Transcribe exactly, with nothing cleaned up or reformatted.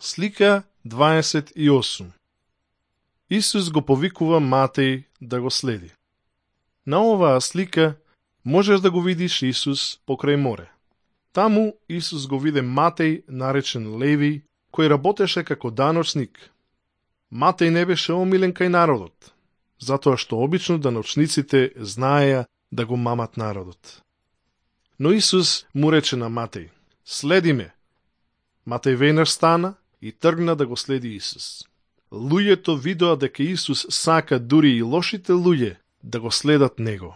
Слика дваесет и осум. Исус го повикува Матеј да го следи. На оваа слика можеш да го видиш Исус покрај море. Таму Исус го виде Матеј, наречен Леви, кој работеше како даночник. Матеј не беше омилен кај народот, затоа што обично даночниците знаеја да го мамат народот. Но Исус му рече на Матеј: "Следи ме." Матеј веднаш стана и тргна да го следи Исус. Луѓето видоа дека Исус сака дури и лошите луѓе да го следат него.